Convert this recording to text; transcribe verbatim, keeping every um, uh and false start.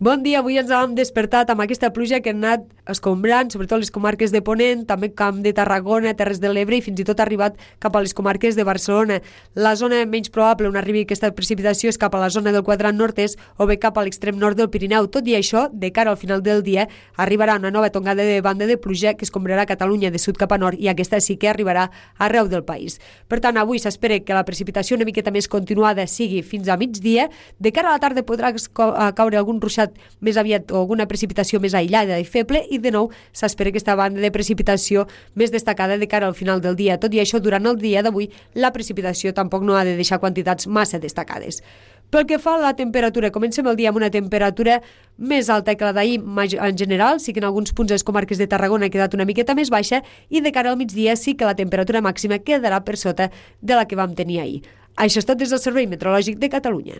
Bon dia, avui ens hem despertat amb aquesta pluja que ha anat escombrant, sobretot les comarques de Ponent, també Camp de Tarragona, Terres de l'Ebre i fins i tot ha arribat cap a les comarques de Barcelona. La zona menys probable on arribi aquesta precipitació és cap a la zona del quadrant nord-est o bé cap a l'extrem nord del Pirineu. Tot i això, de cara al final del dia, arribarà una nova tongada de banda de pluja que escombrarà Catalunya de sud cap a nord i aquesta sí que arribarà arreu del país. Per tant, avui s'espera que la precipitació una miqueta més continuada sigui fins a migdia. De cara a la tarda podrà caure algun ruixat més aviat o alguna precipitació més aïllada i feble i de nou s'espera aquesta banda de precipitació més destacada de cara al final del dia. Tot i això, durant el dia d'avui la precipitació tampoc no ha de deixar quantitats massa destacades. Pel que fa a la temperatura, comencem el dia amb una temperatura més alta que la d'ahir en general, sí que en alguns punts de les comarques de Tarragona ha quedat una miqueta més baixa i de cara al migdia sí que la temperatura màxima quedarà per sota de la que vam tenir ahir. Això és tot des del Servei Meteorològic de Catalunya.